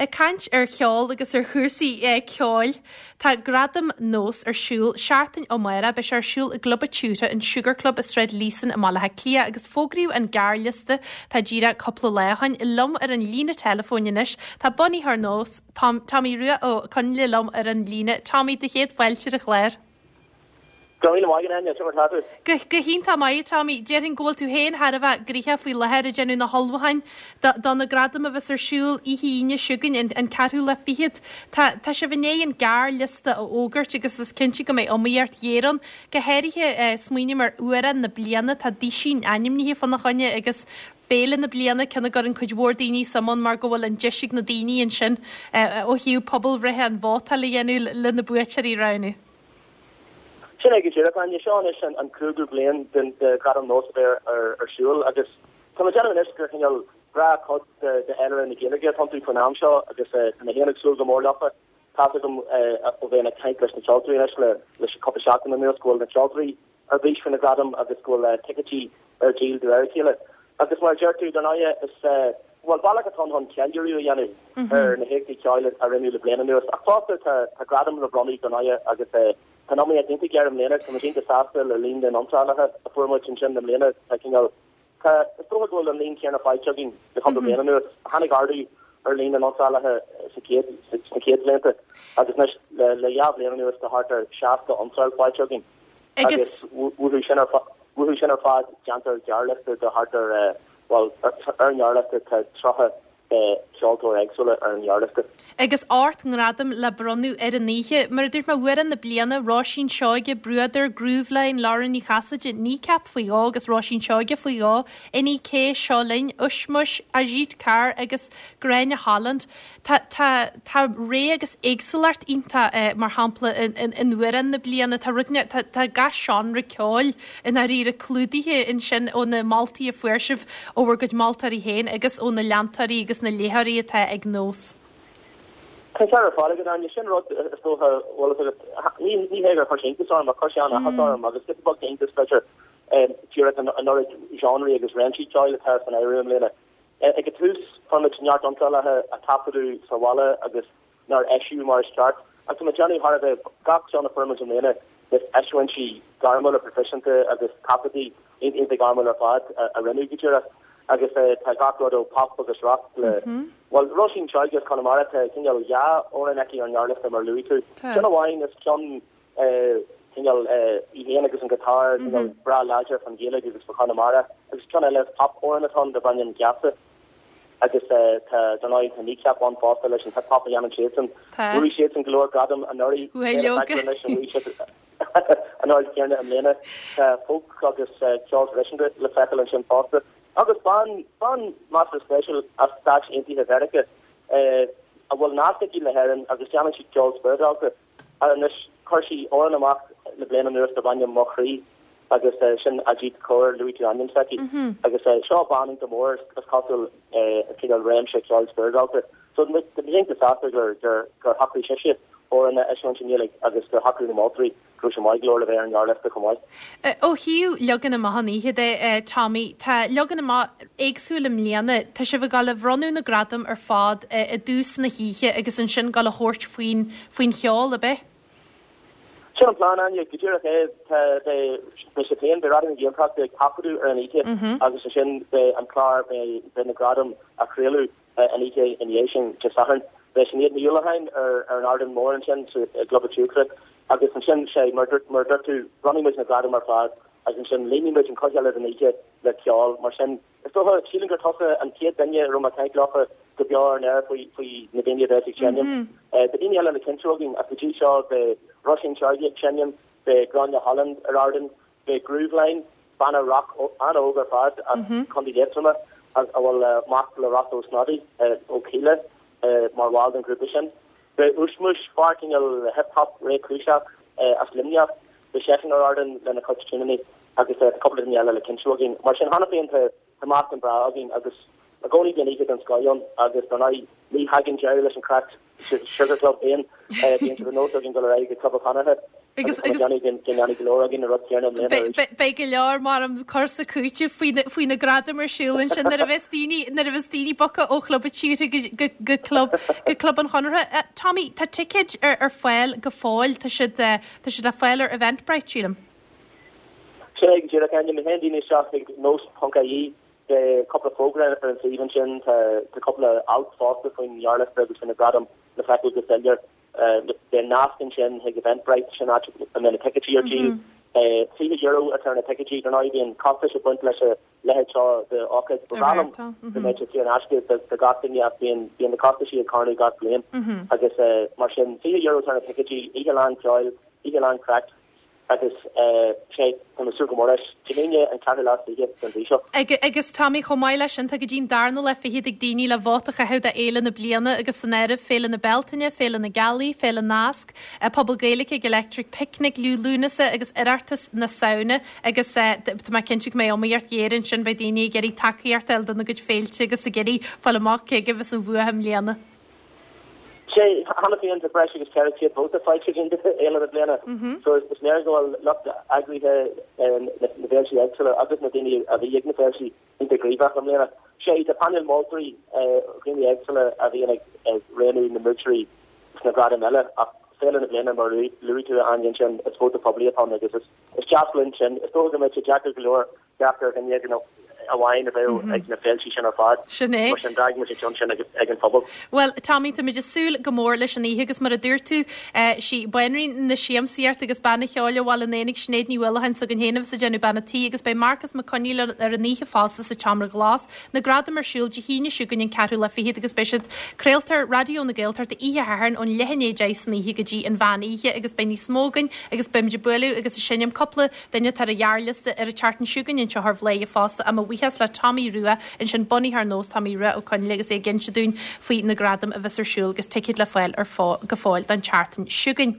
Ag caint ar cheol agus ar chúrsaí ceoil, tá Gradaim Nós ar siúl seachtain ó amárach. Beidh sé ar siúl i gClub an tSiúcra, an Sugar Club i Sráid Líosain i mBaile Átha Cliath agus fógraíodh an gearrliosta tá díreach cúpla lá ó shin. Liom ar an líne teileafóin anois tá bunaitheoir Nós, Tom, Tommy Rua Ó Conghaile liom ar an líne. Tommy, do chéad fáilte ar an chlár. Go raibh míle maith agat, Áine. Cad é mar atá tú? Go, go hiontach maith, a Tommy. Déarfainn go bhfuil tú féin thar a bheith gnoitheach faoi láthair ag déanamh na hullmhúcháin do, do na gradaim a bheas ar siúl oíche Aoine seo chugainn, an, an ceathrú lá fichead. Tá, tá sibh i ndiaidh an gearrliosta a fhógairt agus is cinnte go mbeidh iomaíocht ghéar ann. Go háirithe, eh, smaoiním ar Amhrán na Bliana, tá Duísín ainmnithe fána choinne agus Féile na Bliana, ceann a gcuireann cuid mhór daoine suim ann mar go bhfuil an deis ag na daoine ansin, eh, ó thaobh pobalbhreithe an vótáil a dhéanamh le na buaiteoirí a roghnú. Sin é go díreach, Áine. Seo anois an cúigiú bliain de Ghradaim Nós a bheith ar siúl agus tá mé ag déanamh anois gur cineál gnáthchuid de fhéilire na Gaeilge atá iontu faoin am seo agus tá mé féin ag súil go mór leofa. Tá's agam ó bheith ag caint leis na ceoltóirí anois le cúpla seachtain anuas go bhfuil na ceoltóirí ar bís faoi na gradaim agus go bhfuil ticéidí ar díol de réir a chéile. Agus mar a deir tú, dar ndóighe, is, bhuel, bealach atá ann chun ceiliúradh a dhéanamh ar na héachtaí ceoil a rinneadh le bliain anuas. Ach fosta, tá, tá gradaim le bronnadh, dar ndóighe, agus tá an iomaíocht iontach géar i mbliana. Tá muid iontach sásta le líon na n-iontrálaithe a fuair muid ansin i mbliana. Tá cineál, tá, is dócha go bhfuil an líon céanna faighte againn le cúpla bliain anuas. Tháinig ardú ar líon na n-iontrálaithe sa chéad, sna chéad bhlianta agus anois le, le dhá bhliain anuas tá thart ar 60 iontráil faighte againn. Agus uathu sin ar uathu sin ar fad déantar gearrliosta de thart ar, bhuel, ar an ngearrliosta tá 30 ceoltóir éagsúla ar an ngearrliosta. Agus 8 ngradam le bronnadh ar an oíche. Mar a dúirt mé, Amhrán na Bliana, Róisín Seoige, Bruadar, Grooveline, Lauren Ní Chasaide, Kneecap faoi dhó agus Róisín Seoige faoi dhó, NEK, Seo Linn, Ushmush, Ajeet Kaur agus Gráinne Holland. Tá, tá, tá rogha agus éagsúlacht iontach, mar shampla, in, in Amhrán na Bliana, tá rud, tá, tá gach seánra ceoil i ndáiríre clúdaithe ansin ó na moltaí a fuair sibh ó bhur gcuid moltóirí féin agus ó na leantóirí agus na léitheoirí atá ag Nós. Tá an ceart ar fad agat, Áine. Sin rud, is dócha, bhfuil fhios agat, ní, ní hé gur chuir sé iontas orm, ach chuir sé an-áthas orm agus giota beag d'iontas, b'fhéidir, díreach an, an oiread genreí agus réimsí ceoil atá san áireamh i mbliana. Ag an tús, fuair muid neart iontrálacha a taifeadadh sa bhaile agus nár eisíodh mar is ceart, ach tá mé ag déanamh thar a bheith gach ceann a fuair muid i mbliana is eisiúintí gairmiúla proifisiúnta agus taifeadtaí iontach gairmiúil ar fad a rinneadh go díreach agus tá gach rud ó pop agus rock le, bhuel, Róisín Seoige as Conamara, tá cineál dhá amhrán aici ar an ngearrliosta mar a luaigh tú. Ceann amháin is ceann cineál í féin agus an guitar, cineál breá láidir faoin Ghaeilge agus faoi Chonamara, agus ceann eile is pop amhrán atá ann darb ainm Geasa agus tá, dar ndóigh, tá Kneecap ann fosta leis an hip hop a dhéanann siadsan. Bhuaigh siadsan go leor gradam anuraidh, anois an bhuaigh siad an oiread céanna i mbliana. Tá folk agus ceol traidisiúnta le feiceáil ansin fosta. Agus bean, bean measartha spéisiúil as Stáit Aontaithe Mheiriceá a bhfuil nasc aici le hÉirinn agus déanann sí ceol spioradálta. Anois, chuir sí amhrán amach le bliain anuas darb ainm Mo Chroí agus sin Ajeet Kaur, luaigh tú ainm s'aici, agus seo bean iontach mór is cosúil i cineál réimse ceoil spioradálta. So tá muid iontach sásta gur gur shocraigh sise amhrán a eisiúint i nGaeilge agus gur shocraigh na moltóirí go raibh sé maith go leor le bheith ar an ngearrliosta chomh maith. Ó thaobh leagan amach an oíche de, Tommy, tá leagan amach éagsúil i mbliana. Tá sibh ag dul a bhronnadh na gradam ar fad i dtús na hoíche agus ansin dul a thabhairt faoin faoin cheol, ab ea? Sin an plean, Áine, go díreach é. Tá, beidh, beidh siad féin, beidh Raidió na Gaeltachta ag taifeadadh ar an oíche agus ansin beidh an clár, beidh, beidh na gradaim á chraoladh an oíche ina dhiaidh sin, Dé Sathairn. Beidh Sinéad Ní Uallacháin ar, ar an ardán mór ansin sa, i gClub an tSiúcra agus ansin, sé, mar dúirt, mar a dúirt tú, bronnfaidh muid na gradaim ar fad agus ansin líonfaidh muid an chuid eile den oíche le ceol. Mar sin, Is dócha, sílim gur tusa an chéad duine a raibh mé ag caint leofa go beo ar an aer faoi, faoi na daoine a bheas ag seinm. Tá daoine eile le cinntiú againn ach go dtí seo beidh Róisín Seoige ag seinm, beidh Gráinne Holland ar ardán, beidh Grooveline, banna rock an-óg ar fad as Contae Liatroma a bhfuil mac le Rossa Ó Snodaigh ó Kíla mar bhall den ghrúpa sin. Beidh Ushmush, fear cineál hip hop réchúiseach as Luimneach, beidh seisean ar ardán lena chuid tiúineanna agus tá cúpla duine eile le cinntiú againn. Mar sin cheana féin tá meascán breá againn agus i gcónaí bíonn oíche den scoth ann agus dar ndóigh ní thagann deireadh leis an craic sa Sugar Club féin, bíonn sé de nós againn dul ar aghaidh go Club an Chonartha. Agus go ndéanfaidh go leor againn an rud céanna i mbliana arís. Beidh go leor mar an cur 's cúiteamh faoi na gradaim ar siúl ansin nuair a bheas daoine nuair a bheas daoine bogtha ó chlub an tíortha go go club go club an Chonartha. Tommy, tá ticéid ar ar fáil go fóill, tá siad tá siad le fáil ar Eventbrite, sílim. Sin é go díreach, Áine. Má théann daoine isteach ag nós.ie beidh cúpla fógra ar an suíomh ansin, tá tá cúpla alt fosta faoin ngearrliosta agus faoi na gradaim le feiceáil go soiléir. Beidh nasc ansin chuig Eventbrite, sin áit a mbeidh na ticéidí ar díol. €20 atá ar na ticéidí, dar ndóigh bíonn costais ag baint leis a leithéid seo d'ócáid. Ba bhreá liom go mbeadh sé saor in aisce do gach duine ach bíonn na costaisí ag carnadh gach bliain agus mar sin €20 atá ar na ticéidí, oíche lán ceoil, oíche lán craic. Agus sé, tá mé ag súil go mór leis. Dé hAoine an ceathrú lá is fiche den mhí seo. Agus Tommy, chomh maith leis sin, tá go dtí an darna lá fichead ag daoine le vóta a chaitheamh do Fhéile na Bliana agus san áireamh Féile na Bealtaine, Féile na Gealaí, Féile Nasc, Pobal Gaeilge ag Electric Picnic, Liú Lúnasa agus Oireachtas na Samhna agus tá mé cinnte go mbeidh iomaíocht ghéar ansin, beidh daoine ag iarraidh tacaíocht a fháil dona gcuid féilte agus ag iarraidh fáil amach cé acu a bheas an bhua i mbliana. Sé, cheana féin tá breis agus 400 vóta faighte againn do Fhéile na Bliana so is léir go bhfuil lucht eagraithe na bhféiltí éagsúla agus na daoine a bhí ag na féiltí iontach gníomhach i mbliana. Sé, tá painéal moltóirí, dhaoine éagsúla a bhíonn ag roghnú na mbuaiteoirí sna gradaim eile ach Féile na Bliana mar a luaigh tú a Áine ansin, is vóta poiblí atá ann agus is deas linn sin. Is dócha go mbeadh sé deacair go leor teacht ar dhuine éigin amháin a bheadh ag na féiltí sin ar fad. Sin é. Mar sin, d'fhág muid an ceann sin ag an phobal. Bhuel, Tommy, táimid ag súil go mór leis an oíche agus mar a dúirt tú, sí banríon na siamsaíochta agus bean an cheoil ó Bhaile an Éanaigh, Sinéad Ní Uallacháin s'againn féin a bheas ag déanamh bean an tí agus beidh Marcus Mac Conghail ar an oíche fosta sa tSeomra Glas. Na gradaim ar siúl Dé hAoine seo chugainn an ceathrú lá fichead agus beidh siad craolta ar Raidió na Gaeltachta oíche Shathairn ón leath i ndiaidh 10 san oíche go dtí an mheán oíche agus beidh níos mó againn agus beimid ag bualadh agus ag seinm cúpla Duine atá ar an ghearrliosta ar an tseachtain seo chugainn anseo ar Bhladhaire fosta. Mo bhuíochas le Tommy Rua ansin, bunaitheoir Nós, Tommy Rua Ó Conghaile agus é ag inse dúinn faoi na gradaim a bheas ar siúl agus ticéid le fáil ar go fóill don tseachtain seo chugainn.